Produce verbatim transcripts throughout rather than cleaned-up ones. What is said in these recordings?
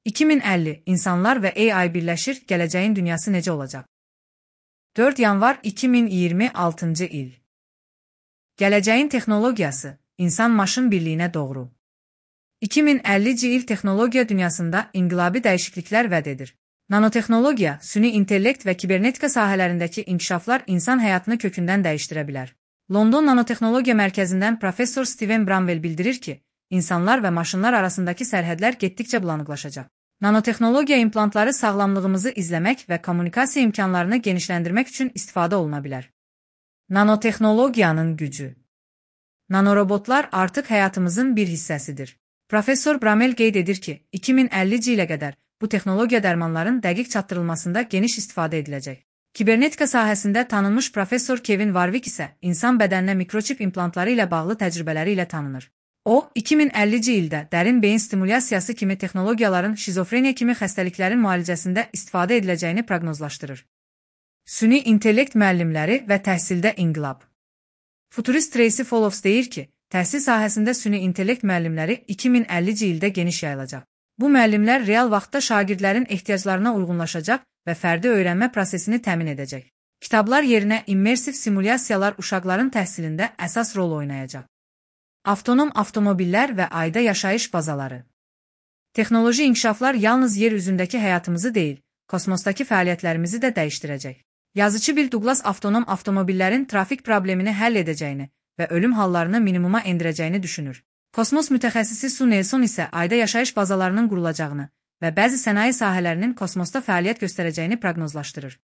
iki min əlli insanlar və A I birləşir, gələcəyin dünyası necə olacaq? dörd yanvar iki min iyirmi altıncı il. Gələcəyin texnologiyası, insan-maşın birliyinə doğru. iki min əllinci il texnologiya dünyasında inqilabi dəyişikliklər vəd edir. Nanotexnologiya, süni intellekt və kibernetika sahələrindəki inkişaflar insan həyatını kökündən dəyişdirə bilər. London Nanotexnologiya Mərkəzindən professor Steven Bramwell bildirir ki, insanlar və maşınlar arasındakı sərhədlər getdikcə bulanıqlaşacaq. Nanotexnologiya implantları sağlamlığımızı izləmək və kommunikasiya imkanlarını genişləndirmək üçün istifadə oluna bilər. Nanotexnologiyanın gücü. Nanorobotlar artıq həyatımızın bir hissəsidir. Professor Bramwell qeyd edir ki, iki min əllinci ilə qədər bu texnologiya dərmanların dəqiq çatdırılmasında geniş istifadə ediləcək. Kibernetika sahəsində tanınmış professor Kevin Warwick isə insan bədəninə mikroçip implantları ilə bağlı təcrübələri ilə tanınır. O, iki min əllinci ildə dərin beyin stimulyasiyası kimi texnologiyaların şizofreniya kimi xəstəliklərin müalicəsində istifadə ediləcəyini proqnozlaşdırır. Süni intellekt müəllimləri və təhsildə inqilab. Futurist Tracy Follows deyir ki, təhsil sahəsində süni intellekt müəllimləri iki min əllinci ildə geniş yayılacaq. Bu müəllimlər real vaxtda şagirdlərin ehtiyaclarına uyğunlaşacaq və fərdi öyrənmə prosesini təmin edəcək. Kitablar yerinə immersiv simulyasiyalar uşaqların təhsilində əsas rol oynayacaq. Avtonom avtomobillər və ayda yaşayış bazaları. Texnoloji inkişaflar yalnız yer üzündəki həyatımızı deyil, kosmosdakı fəaliyyətlərimizi də dəyişdirəcək. Yazıcı Bill Douglas avtonom avtomobillərin trafik problemini həll edəcəyini və ölüm hallarını minimuma endirəcəyini düşünür. Kosmos mütəxəssisi Sue Nelson isə ayda yaşayış bazalarının qurulacağını və bəzi sənaye sahələrinin kosmosda fəaliyyət göstərəcəyini proqnozlaşdırır.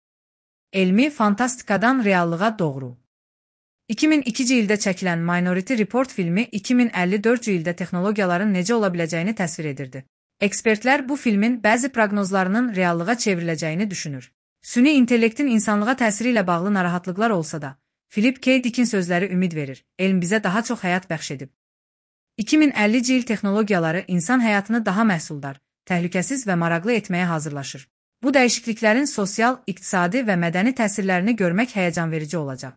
Elmi fantastikadan reallığa doğru. iki min ikinci ildə çəkilən Minority Report filmi iki min əlli dördüncü ildə texnologiyaların necə ola biləcəyini təsvir edirdi. Ekspertlər bu filmin bəzi proqnozlarının reallığa çevriləcəyini düşünür. Süni intellektin insanlığa təsiri ilə bağlı narahatlıqlar olsa da, Philip K. Dick'in sözləri ümid verir, elm bizə daha çox həyat bəxş edib. iki min əllinci il texnologiyaları insan həyatını daha məhsuldar, təhlükəsiz və maraqlı etməyə hazırlaşır. Bu dəyişikliklərin sosial, iqtisadi və mədəni təsirlərini görmək həyəcanverici olacaq.